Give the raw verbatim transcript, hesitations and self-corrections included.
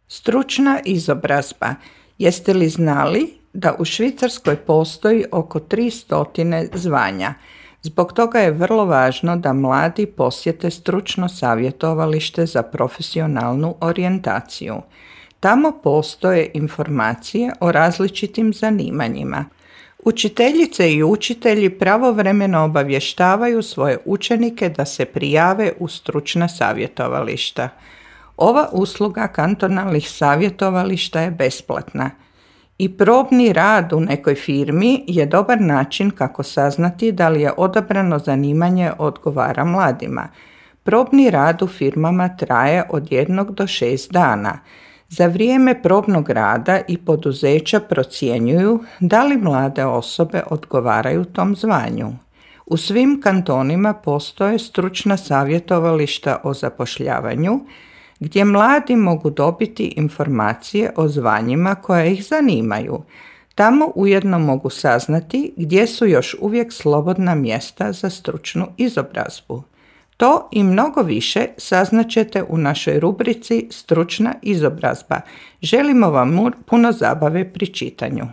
Stručna izobrazba. Jeste li znali da u Švicarskoj postoji oko tristo zvanja? Zbog toga je vrlo važno da mladi posjete stručno savjetovalište za profesionalnu orijentaciju. Tamo postoje informacije o različitim zanimanjima. Učiteljice i učitelji pravovremeno obavještavaju svoje učenike da se prijave u stručna savjetovališta. Ova usluga kantonalnih savjetovališta je besplatna. I probni rad u nekoj firmi je dobar način kako saznati da li je odabrano zanimanje odgovara mladima. Probni rad u firmama traje od jednog do šest dana. Za vrijeme probnog rada i poduzeća procjenjuju da li mlade osobe odgovaraju tom zvanju. U svim kantonima postoje stručna savjetovališta o zapošljavanju, gdje mladi mogu dobiti informacije o zvanjima koja ih zanimaju. Tamo ujedno mogu saznati gdje su još uvijek slobodna mjesta za stručnu izobrazbu. To i mnogo više saznaćete u našoj rubrici Stručna izobrazba. Želimo vam puno zabave pri čitanju.